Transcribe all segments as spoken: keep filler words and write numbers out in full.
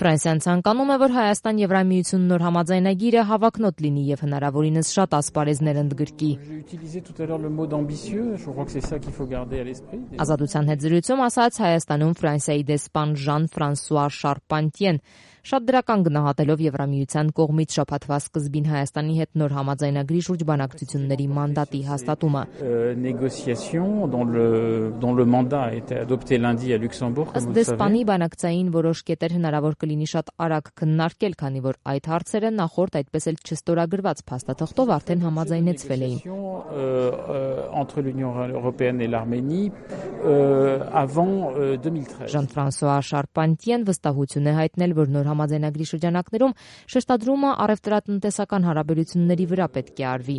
Ֆրանսիան ցանկանում է, որ Հայաստան-Եվրամիություն նոր համաձայնագիրը հավակնոտ լինի եւ հնարավորինս շատ ասպարեզներ ընդգրկի։ Ազատության հետ զրույցում ասաց Հայաստանում Ֆրանսիայի դեսպան Ժան-Ֆրանսուଆ Շարպանտիեն, շատ դրական գնահատելով Եվրամիության կողմից շաբաթվա սկզբին Հայաստանի հետ նոր համաձայնագրի շուրջ բանակցությունների մանդատի հաստատումը։ Ըստ դեսպանի բանակցային որոշ կետեր հնարավոր կլինի շատ արագ քննարկել, քանի որ այդ հարցերը նախորդ այդպես էլ չստորագրված փաստաթղթով արդեն համաձայնեցվել էին։ Ժան-Ֆրանսուଆ Շարպանտիեն վստահություն է հայտնել, որ նոր համաձայնագրի շրջանակներում շեշտադրումը առևտրատնտեսական հարաբերությունների վրա պետք է արվի։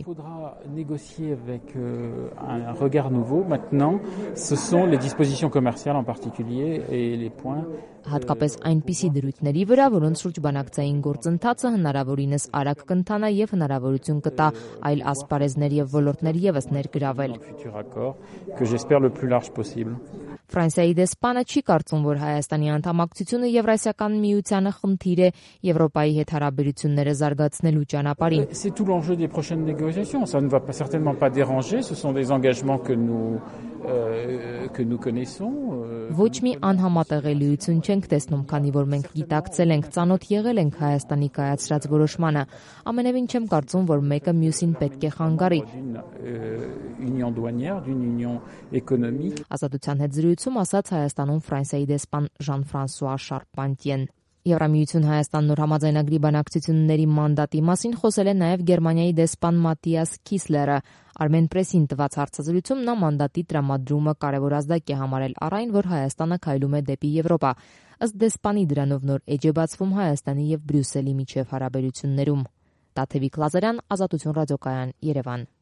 Հատկապես այնպիսի դրույթների վրա, որոնց շուրջ բանակցային գործընթացը հնարավորինս արագ կընթանա եւ հնարավորություն կտա այլ ասպարեզներ եւ ոլորտներ եւս ներգրավել։ Ֆրանսիայի դեսպանը չի կարծում, որ Հայաստանի անդամակցությունը Եվրասիական միությանը խնդիր է Եվրոպայի հետ հարաբերությունները զարգացնելու ճանապարհին։ Ոչ մի անհամատեղելիություն չենք տեսնում, քանի որ մենք գիտակցել ենք, ծանոթ եղել ենք Հայաստանի կայացրած որոշմանը։ Ամենևին չեմ կարծում, որ մեկը մյուսին պետք է խանգարի։ Ազատության հետ զրույցում ասաց Հայաստանում Ֆրանսիայի դեսպան Ժան-Ֆրանսուଆ Շարպանտիեն։ Եվրամիություն Հայաստան նոր համաձայնագրի բանակցությունների մանդատի մասին խոսել է նաև Գերմանիայի դեսպան Մատիաս Քիսլերը։ Armen Press-ին տված հարցազրույցում նա մանդատի տրամադրումը կարևոր ազդակ է համարել առ այն, որ Հայաստանը քայլում է դեպի Եվրոպա։ Ըստ դեսպանի դրանով նոր էջ է բացվում Հայաստանի եւ Բրյուսելի միջև հարաբերություններում։ Տաթևիկ Լազարյան, Ազատություն ռադիոկայան, Երևան։